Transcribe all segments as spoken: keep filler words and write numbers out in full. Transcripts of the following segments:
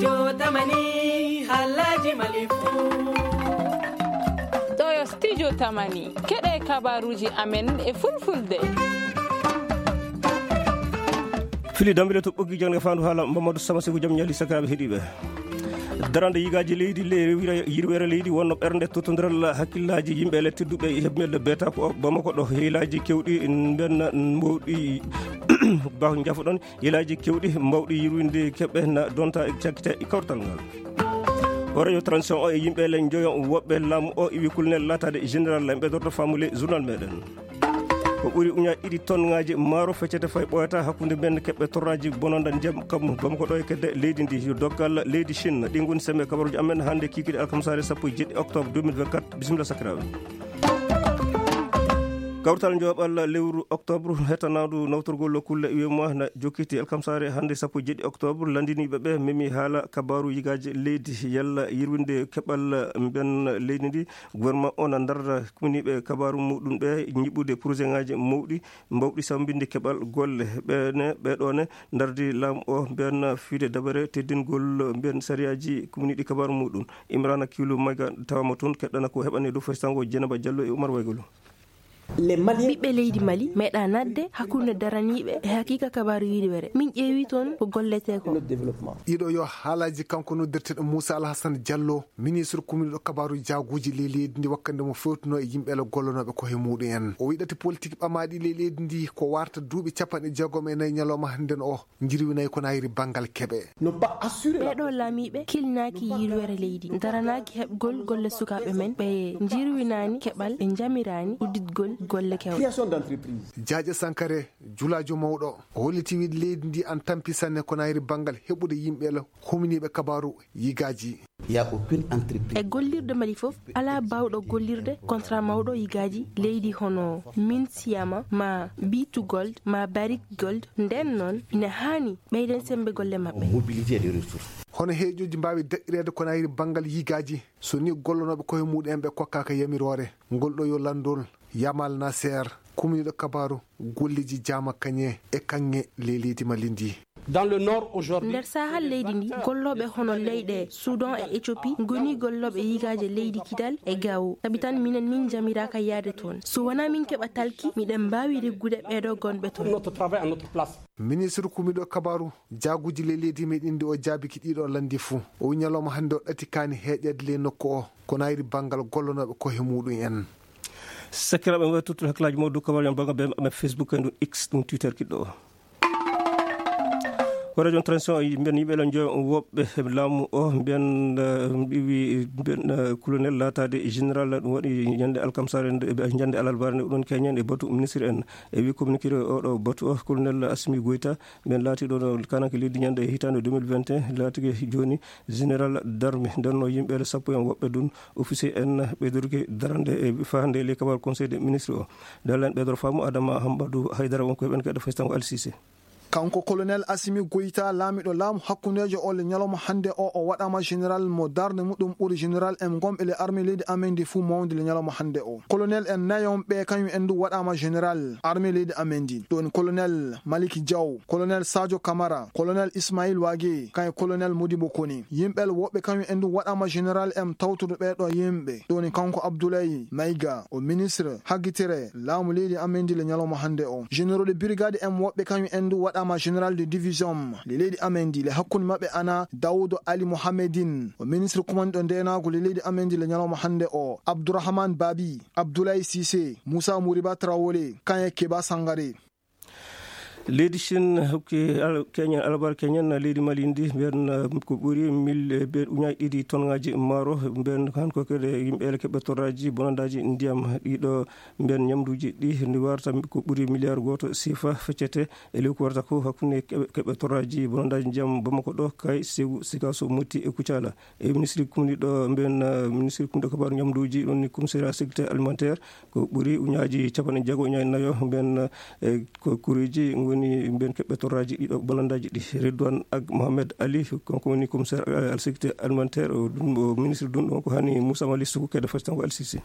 Yo tamani, halaji malifu. Ɗo yo studio tamani. Keɗe kabaruji amen e fulfulde. Fili dambile to ɓoggi jangde fandu haala Mamadou Sama Seku jam ñali sakiraɓe heɗiɓe. Darande yigaji leydi le-, yirwere leydi wonno ɓernde totodiral hakkillaji yimɓe le tedduɓe e heɓmelde beta ko Bamako ɗo. Heelaji kewɗi mbenna mawɗi ba jafoɗon. Yelaaji kewɗi mbawɗi yirwinde keɓe na donta e cakkite e kawtal ngal. O radio transition o e yimɓe le njoyo woɓɓe laamu o iwi kulnel laataade général lamɓe dorto famule journal meɗen. Ko ɓuri uña ɗiɗi tonngaaji maaro feccete fay ɓooyata hakkunde men keɓɓe torraaji bononda ndiyam kam Bamako ɗo e kedde leydi ndi. Yo dokkal leydi Chine ɗi ngoni sembe kabaruji amen hannde kikiɗe alkamsaare sappo e jeɗɗi octobre deux mille vingt-quatre. Bisimilla sakiraaɓe. Kawtal njoɓal lewru octobre hetanaandu nawtorgol kulle U E M O A na jokkiti alkamsaare hannde sappo e jeɗɗi octobre. Lanndiniiɓe ɓe memi haala kabaaru yigaaji leydi yalla yirwinde keɓal mben leydi ndi. Gouvernement o na darda kumniiɓe kabaaru muɗum ɓe ñiɓɓude projet ŋaaji mawɗi mbawɗi sambinde keɓal golle. Ɓene, ɓeɗone dardi laamu o mben fiide dabare teddingol mben sariyaaji kumniiɗi kabaaru muɗum. Imrana Kilu Mayga tawama toon keɗɗana ko heɓani dow faysango Jenaba Diallo e Umar Waygolo. Ɓiɓɓe leydi Mali meeɗa nadde hakkunde daraniiɓe e hakiika kabaaru yiɗiwere. Min ƴeewi toon ko gollete ko. Ɗiɗo yo haalaaji kanko noddirteɗo Moussa Alhassane Diallo, ministre kumniɗo kabaaru jaaguuji ley leydi ndi wakkande mo fewtuno e yimɓe le gollonooɓe ko he muuɗum en. O wiɗati politique ɓamaaɗi ley leydi ndi ko warta duuɓi capanɗe jeegom e nayi ñalawma hannden o. Njirwinay ko nayri banngal keɓe. Ɓeɗo laamiiɓe kilnaaki yirwere leydi, daranaaki heɓgol golle sukaaɓe men, ɓe njirwinaani keɓal, ɓe njamiraani udditgol golle kewɗe. Jaaƴe Sankare, julaajo mawɗo, o holliti wiide leydi ndi an tampi sanne ko nayri banngal heɓude yimɓe la humniiɓe kabaaru yigaaji. E gollirde Mali fof, alaa baawɗo gollirde contrat mawɗo yigaaji leydi hono Minsiyama, ma B two Gold, ma Barrick Gold. Nden noon, ina haani ɓeyden semmbe golle maɓɓe. Hono heeƴooji mbaawi daɗɗireede ko nayri banngal yigaaji, so ni gollonooɓe koye muɗum en ɓe kokkaaka yamiroore? Ngol ɗo yo lanndol Yamal Nasser, kumniiɗo kabaaru golleeji Jaama Kañe e kaŋŋe ley leydi Mali ndi. Dans le nord aujourd'hui, nder saahal leydi ndi, gollooɓe hono leyɗe Soudan e Éthiopie ngoni gollooɓe yigaaje leydi Kidal e Gao. Sabi tan minen min njamiraaka yahde toon. So wonaa min keɓa talki, miɗen mbaawi reggude ɓeeɗo gonɓe toon. Notre travail à notre place. Ministre kumiiɗo kabaaru jaaguuji ley leydi meɗen ndi o jaabiki ɗiɗo lanndi fuu. O wi ñalawma hannde o ɗati kaani heeƴeede ley nokku o, ko nayri banngal gollonooɓe koye muɗum en. Sakiraaɓe, waɗi tottude hakkillaaji mawɗo dow kabaaruji am banngal ɓe amen Facebook en ɗum X ɗum Twitter kiɗɗo o. Ko radio transition o mbiyen yimɓe lan joyo woɓɓe laamu o mbiyen, eh, ɓiwi mbiyen, eh, colonel laataade général ɗum waɗi ñande alkamsare nde, eh, ñande alarbaare nde ɗon keñen e batu ministre en. E wi communiqué o ɗo batu o colonel Assimi Goïta mbiyen laati ɗo no kananke leydi ñande e hitaande deux mille vingt et un laatike jooni général d'armée ndenno yimɓe sappo en woɓɓe ɗum officier en ɓeydorki darande e faande ley kabal conseil des ministres o. Dalen ɓeydor faamu Adama Hambadu Haydara wonko heɓen kadi faytango Alsise. Kanko colonel Assimi Goïta, laamiɗo laamu hakkundeejo o le ñalawma hannde o, o waɗaama général mo darnde muɗum ɓuri général en gomɓe le armée leydi amen ndi fuu mawde le ñalawma hannde o. Colonel en nayon ɓe kañum en du waɗaama général armée leydi amen ndi. Ɗo woni colonel Maliki Diaw, colonel Sadio Camara, colonel Ismail Wage, kañum colonel Modibo Kone. Yimɓe woɓɓe kañum en du waɗaama général en tawtude ɓee ɗo yimɓe. Ɗo woni kanko Abdoulaye Maïga, o ministre haggitere laamu leydi amen ndi le ñalawma hannde o. Généraux de brigade en woɓɓe kañum en du waɗaama général de division le leydi amen ndi. Le hakkunde maɓɓe ana Daouda Ali Mohamedine, o ministre kumanɗo ndeenaagu le leydi amen ndi le ñalawma hannde o. Abdourahmane Babi, Abdoulaye Cissé, Moussa Mouriba Traoré, kañum e Keba Sangare. Leydi Chine hokki al-, keñen, alabar keñen leydi Mali ndi, mbiyen, eh, ko ɓuri mil, eh, be uñaaji ɗiɗi tonngaaji maaro, mbiyen han ko kadi yimɓe ele keɓɓe torraaji bonandaaji ndiyam. Ɗiɗo mbiyen ñamduuji ɗi ndi warata ko ɓuri miliyar gooto sifa feccete e lewru ko warata ko hakkunde keɓe, keɓɓe torraaji bonandaaji ndiyam Bamako ɗo, kay Segu, Sikaso, Moti e Kucala. E ministre kumniɗo mbiyen, eh, ministre kumniɗo kabaaru ñamduuji, ɗum ni commissariat sécurité alimentaire, ko ɓuri uñaaji capanɗe jeego uñaaji nayo mbiyen, eh, ko kureeji ngoni mbiyen keɓɓe torraaji ɗiɗo bonandaaji ɗi. Redouane Ag Mohamed Ali, kanko woni commissaire, eh, à la sécurité alimentaire, o ɗum, o ministre ɗum ɗon ko hani Moussa Mali Sougou kede fasitango Al Sisi.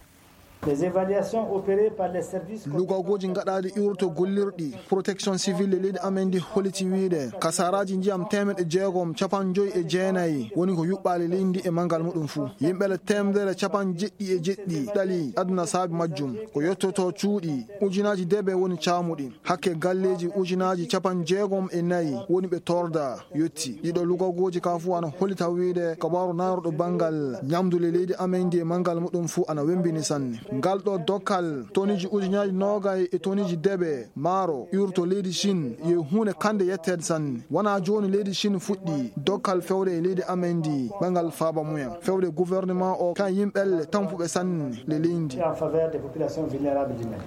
Les évaluations opérées par les services. Lugagooji gaɗaaɗi iwrito gollirɗi protection civile e leydi amen ndi holliti wiyde kasaraaji ndiyam teemeɗɗe jeegom capanɗe joyi e jeenayi woni ko yuɓɓaali leydi ndi e manngal muɗum fuu. Yimɓe le teemedere capanɗe jeɗɗi e jeɗɗi ɗali aduna saabi majjum. Ko yottoto cuuɗi ujunaaji debe woni caamuɗi. Hakke galleeji ujunaaji capanɗe jeegom e nayi woni ɓe torda yotti. Ɗiɗo lugagooji ka fuu ana hollita wiyde kabaaru naarɗo banngal ñamdu le leydi amen ndi e manngal muɗum fuu ana wembini sanne. Ngal ɗo dokkal toniji ujunaaji noogay e toniji debe maaro iwrito leydi Chine yo huunde kande yetteede sanne. Wonaa jooni leydi Chine fuɗɗi dokkal fewde e leydi amen ndi banngal faaba mumen. Fewde gouvernement o kan yimɓelle tampuɓe sanne le leydi. En faveur des populations vulnérables du Mali.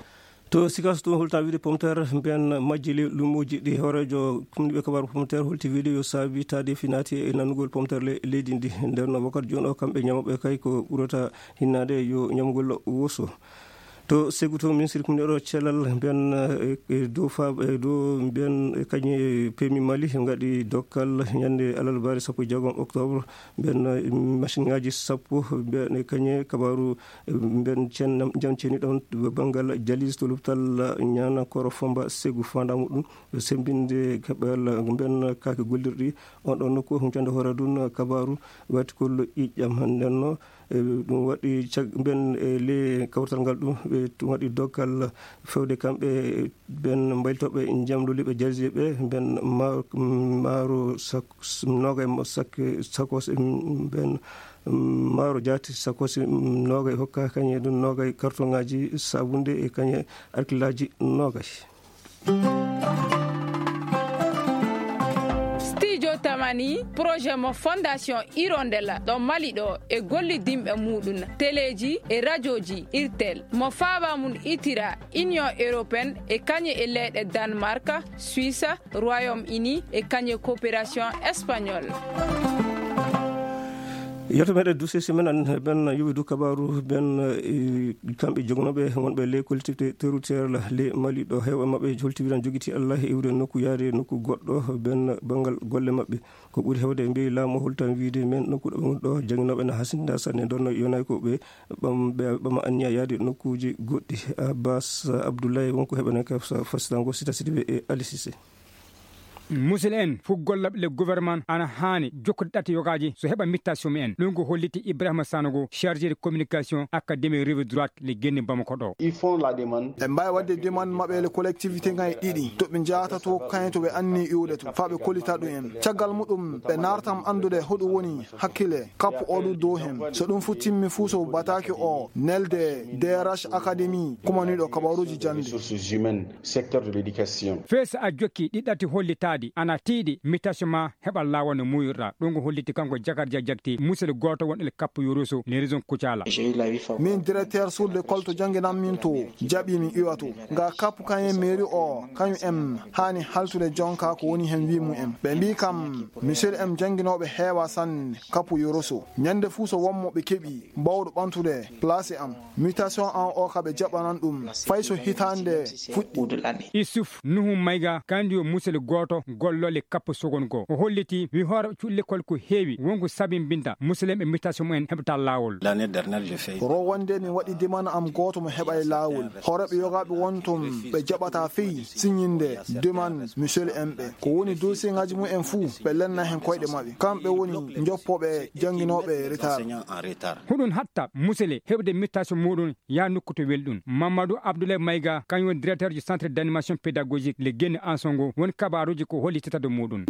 To Sikasso to holta wiide pomter mbiyan majji le lumoji ɗi hoorejo kumniɓe kabaru pomter holti wiide yo saabi taade finaati e nanugol pomter le leydi ndi. Nder no wakkati jooni o kamɓe ñamoɓe kay ko ɓurata hinnaade yo ñamgol woso. To Segu to ministre kumniɗo cellal mbiyan e dow fa e dow mbiyan e kañe pemi Mali ngaɗi dokkal ñande alarbaare sappo e jeegom octobre. Mbiyan machine ngaji sappo mbiyan e kañe kabaru mbiyan cen jam ceni ɗon banngal jalis to lopital ñana koro fomba Segu fanda muɗum sembinde kaɓal mbiyan kake gollirɗi on ɗon nokku huncande hoore ɗum kabaru wati kollo ƴiƴƴam. Ndenno e ɗum waɗi cag mbiyan e le kawtal ngal ɗum ɓe ɗum waɗi dokkal fewde kamɓe ɓen mbaylitoɓe jamluli ɓe jarji ɓe mbiyan maaro sak nogay sak sakos mbiyan maaro jaati sakos nogay hokka kañe ɗum nogay kartoŋaji sabunde e kañe arkilaji nogay. Studio Tamani, projet mo Fondation Hirondelle ɗo Mali ɗo e gollidinɓe muɗum teleji e rajoji irtel mo faaba mum itira Union Européenne e kañe e leyɗe Danemark, Suisse, Royaume Uni e kañe coopération espagnole. Yeto meɗen duse semaine an ben yuwi du kabaru ben kamɓe jogonoɓe wonɓe les collectivités territoriales le Mali ɗo heewa maɓɓe holtiwiran jogiti Allah e iwde nokku yaade nokku goɗɗo ben banngal golle maɓɓe. Ko ɓuri heewde e mbeyi laamu holtan wiide men nokku ɗo woni ɗo jannginooɓe na hasinda sanne ndonno yonay ko ɓe ɓam ɓe ɓama anniya yaade nokkuuji goɗɗi. Abbas Abdoulaye wonko heɓanen ka fasitango sita sidiɓe e alisise. Musil en fof gollaɓe le gouvernement ana haani jokkude ɗatte yogaaji so heɓa mittation mumen. Ɗum ko holliti Ibrahima Sanogo, chargé de communication académie rive droite le genne bamako ɗo. Ils font la demande. Ɓe mbaawi waɗde demande maɓɓe le collectivité ngay ɗiɗi to ɓe njahata to kayen to ɓe anni iwde to faa ɓe kollita ɗum en. Caggal muɗum ɓe naartam anndude hoɗum woni hakkille kappu o ɗum dow hen. So ɗum fof timmi fuu so bataake o nelde D R H académie kumaniiɗo kabaruuji jannde. Ressources humaines, secteur de l'éducation. Feesa a jokki ɗi ɗati hollitaadi ana tiiɗi mittation ma heɓa laawol no muuyirɗa. Ɗum ko holliti kanko Jakar Dia Jakti, musel gooto won el kappu Yoroso, ne région Kucala. Min directeur sur l'école to jannginan min to jaɓi min iwa to. Nga kappu kayen mairie o kañum en haani haltude jonka ko woni hen wi mum en. Ɓe mbi kam monsieur en jannginooɓe heewa sanne kappu Yoroso. Ñande fuu so won mo ɓe keɓi bawɗo ɓantude place am. Mutation an o ka ɓe jaɓanan ɗum fay so hitaande fuɗɗi. Issouf Nuhu Mayga kandi yo musel gooto gollole kappo sogon goo. O holliti wi hoore cuuɗi lekkol ko heewi wonko sabimbinta muselenɓe mutation mumen heɓata laawol. L'année dernière, je fais. Rowande min waɗi demande am gooto mo heɓa e laawol. Hooreɓe yogaaɓe won toon ɓe jaɓata fey siñinde demande monsieur en ɓe. Ko woni dossier ngaji mumen fuu ɓe lenna hen koyɗe maɓɓe. Kamɓe woni joppoɓe jannginooɓe retard. Huɗum hatta musele heɓde mutation muɗum yaa nokku to welɗum. Mamadou Abdoulaye Mayga, kañum woni directeur du centre d'animation pédagogique le Guéné Ansongo, woni kabaruuji ko holli titade muɗum.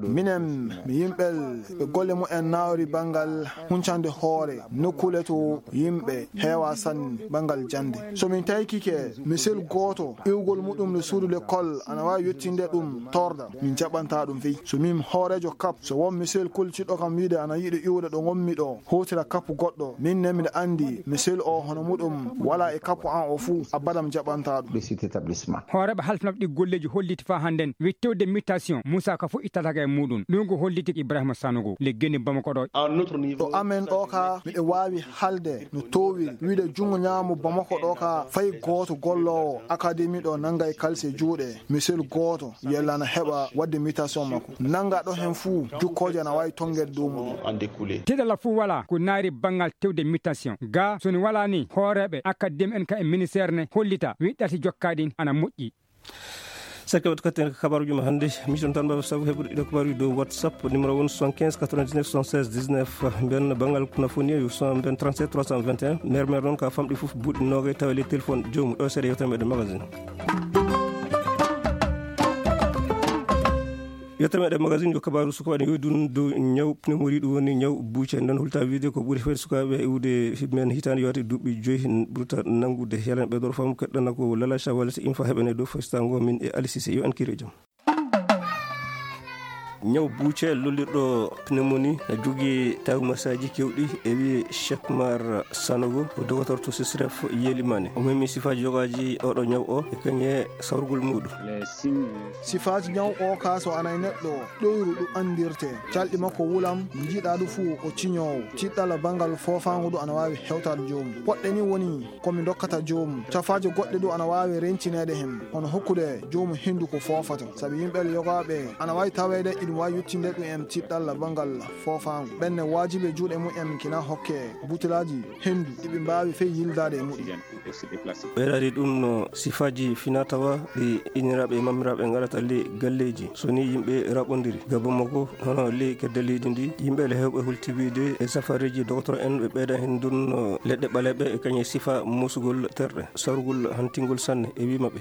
Minen mi yimɓel ɓe golle mumen nawri banngal huncande hoore nokkuule to yimɓe heewa sanne banngal jannde. So min taykike misel gooto iwgol muɗum le suudu l'école ana waawi yettinde ɗum torda, min jaɓanta ɗum fey. So min hooreejo kap, so won misel koltiɗo kam wiide ana yiɗi iwde ɗo ngonmi ɗo, hotira kap goɗɗo, min ne miɗa anndi misel o hono muɗum wala e kap an o fuu, abada mi jaɓanta ɗum. Hooreeɓe halfnaaɓe ɗi golleeji holliti faa hannden wi tewde mutation, Moussa, ka fof ittata ka e muɗum. Ɗum ko holliti Ibrahima Sanogo, le geni Bamako ɗo. To amen ɗo ka, miɗo waawi halde no towiri. Wiide junngo ñaamo Bamako ɗo ka, fay gooto golloowo akademi ɗo nanga e kalse juuɗe. Monsieur gooto, yella na heɓa waɗde mutation makko. Nanga ɗo hen fuu, jukkooje ana waawi tongede dow muɗum. Tiɗalla fuu wala ko naari banngal tewde mutation. Ga, so ni wala ni, hooreeɓe akademi en ka e ministère ne hollita, wiɗɗati jokkaɗin ana moƴƴi. Sakke waɗi katten ka kabaaruuji ma hannde. Mission tan mbaɗa sabu heɓude ɗiɗo kabaaruuji dow WhatsApp, numéro won soixante-quinze quatre-vingt-dix-neuf soixante-seize dix-neuf. Mbiyen banngal kuna foni yo soixante-vingt trente-sept trois cent vingt et un. Maire maire noon ka famɗi fof buuɗi noogay tawa e ley téléphone joomum. Ɗo seeɗa yewtere meɗen magazine. Yettere meɗen magazine yo kabaaru sukaaɓe ne yowi ɗum dow ñaw pneumonie, ɗum woni ñaw buuce. Nden hulta wiide ko ɓuri fayde sukaaɓe iwde men hitaande yoote duuɓi joyi ɓurta nanngude. Yalan ɓe ɗo fam keɗɗana ko Lala Shawala si infa heɓene dow faystaango min e Ali Cissé. Yo en kiire jam. Ñaw buuce lollirɗo pneumonie na jogii tawi masaaji kewɗi, e wi Cheikh Mar Sanogo, ko dogotor to Sisref Yelimane. O memi sifaaji yogaaji oɗo ñaw o e kañe sawrugol muɗum. Sifaaji ñaw o ka so ana e neɗɗo ɗoyru ɗum anndirte. Calɗi makko wulam, jiiɗa ɗum fuu o ciñoowo. Tiɗɗala banngal foofaango ɗum ana waawi hewtaade joomum. Poɗɗe ni woni ko mi dokkata joomum. Cafaaje goɗɗe ɗum ana waawi rencineede heen, hono hokkude joomum henndu ko foofata. Sabi yimɓe yogaaɓe ana waawi taweede iɗum waawi yettinde ɗum en tiɗɗalla banngal foofaango. Ɓenne waajibi e juuɗe mum en kina hokke butelaaji henndu ɗi ɓe mbaawi fey yildaade e muɗum. Ɓeydaade ɗum no sifaaji fina tawa ɗi inniraaɓe e mamiraaɓe ngarata le galleeji. So ni yimɓe raɓondiri ga Bamako, hono le kedde leydi ndi, yimɓe le hewɓe hultibiide e safareeji dogotor en ɓe ɓeyda heen ɗum no leɗɗe ɓaleeɓe e kañe sifa musugol terɗe, sarugol hantingol sanne e wi maɓɓe.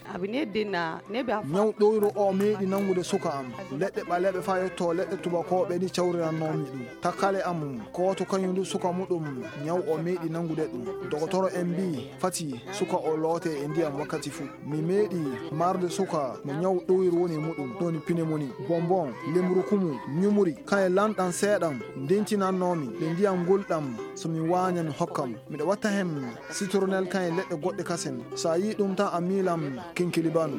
Ñaw ɗoyro o meeɗi nanngude suka am. Leɗɗe ɓaleeɓe faa yetto leɗɗe tubakooɓe ni cawrirannoomi ɗum. Takkale am, kooto kañum du suka muɗum, ñaw o meeɗi nanngude ɗum. Dogotoro en mbii, fati suka o loote e ndiyam wakkati fuu. Mi meeɗi marde suka mo ñaw ɗoyru woni e muɗum, ɗon pneumonie, bonbon, lemrukumu, ñumuri, kaye lanɗan seeɗan, ndentinannoomi, ɓe ndiyam ngulɗam, so mi waaña mi hokkam. Miɗo watta hen citronnelle kaye leɗɗe goɗɗe kasen. So a yii ɗum tan a miilam kinkilibanu.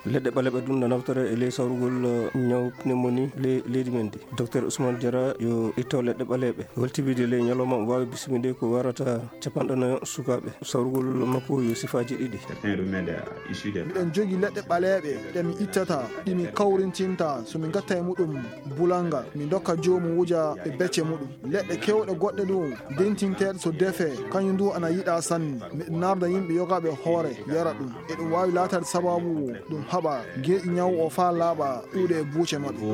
Leɗɗe ɓaleeɓe ɗum na naftore e ley sawrugol, uh, ñaw pneumonie ley leydi men ndi. Docteur Ousmane Diarra yo itto leɗɗe ɓaleeɓe. Holtibide ley ñalawma o waawi bisminde ko warata capanɗe nayo sukaaɓe. Sawrugol makko yo sifaaji ɗiɗi. Miɗen jogi leɗɗe ɓaleeɓe ɗe mi ittata, ɗi mi kawrintinta, so mi ngatta e muɗum bulanga, mi dokka joomum wuja e becce muɗum. Leɗɗe kewɗe goɗɗe ɗum, dentinteeɗe so defe, kañum du ana yiɗa sanne. Miɗo narda yimɓe yogaaɓe hoore, yara ɗum. Eɗum waawi laataade sababu ɗum haɓa geeƴi ñaw o faa laaɓa ɗuuɗe e buuce maɓɓe.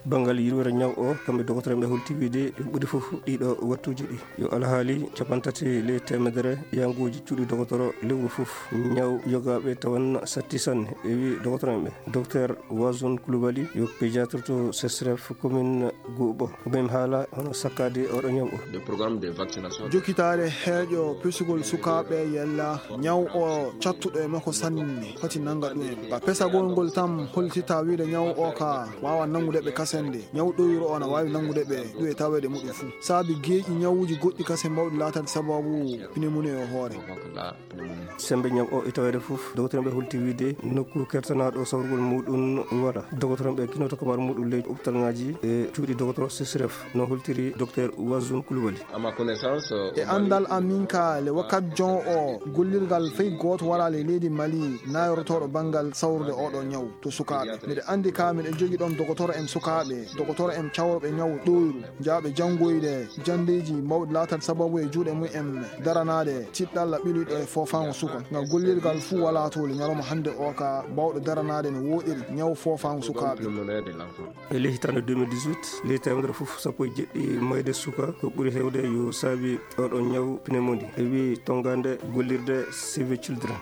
Banngal yirwere ñaw o, kamɓe dogotoreeɓe holti wiide ɓuri fof ɗiɗo wattuuji ɗi. Yo alhaali capantati ley teemedere yanguuji cuuɗi dogotoro lewru fof. Ñaw yogaaɓe tawan satti sanne, e wi dogotoroɓe. Docteur Wazun Koulibaly yo pédiatre to Sesref commune Goubo. Ko ɓen haala hono sakkaade oɗo ñaw o. Des programmes de vaccination. Jokkitaare heeƴo pesugol sukaaɓe yella ñaw o cattuɗo e makko sanne foti nannga ɗum en. Ba pesagol ngol tan holtita wiide ñaw o ka waawa nanngude ɓe kasende. Ñaw ɗoyro o na waawi nanngude ɓe ɗum e taweede muɗum fuu. Saabi geeƴi ñawuuji goɗɗi kasen mawɗi laataade sababu pneumonie e hoore. Sembe ñaw o e taweede fof, dogotoreeɓe holti wiide nokku kertanaaɗo sawrugol muɗum wala. Dogotoreeɓe kinoto kabaru muɗum ley hôpital ŋaaji e cuuɗi dogotoro Sesref, no holtiri docteur Wazun Koulibaly. À ma connaissance, euh, E anndal am min ka le wakkat jon o gollirgal fey gooto wala le leydi Mali nayorotooɗo banngal sawrude oɗo ñaw to sukaaɓe. Miɗo anndi ka miɗo jogi ɗon dogotoro en sukaaɓe, dogotoro en cawroɓe ñaw ɗoyru, njaaɓe janngoyde janndeeji mawɗi laatat sababu e juuɗe mum en daranaade tiɗɗalla ɓiluɗo e foofaango suka. Ngal gollirgal fuu walaa to le ñalawma hannde o ka baawɗo daranaade no wooɗiri ñaw foofaango sukaaɓe. E ley hitaande deux mille dix-huit, ley teemedere fof sappo e jeɗɗi mayde suka ko ɓuri heewde yo saabi oɗo ñaw pneumonie, e wi tonngande gollirde Save Children.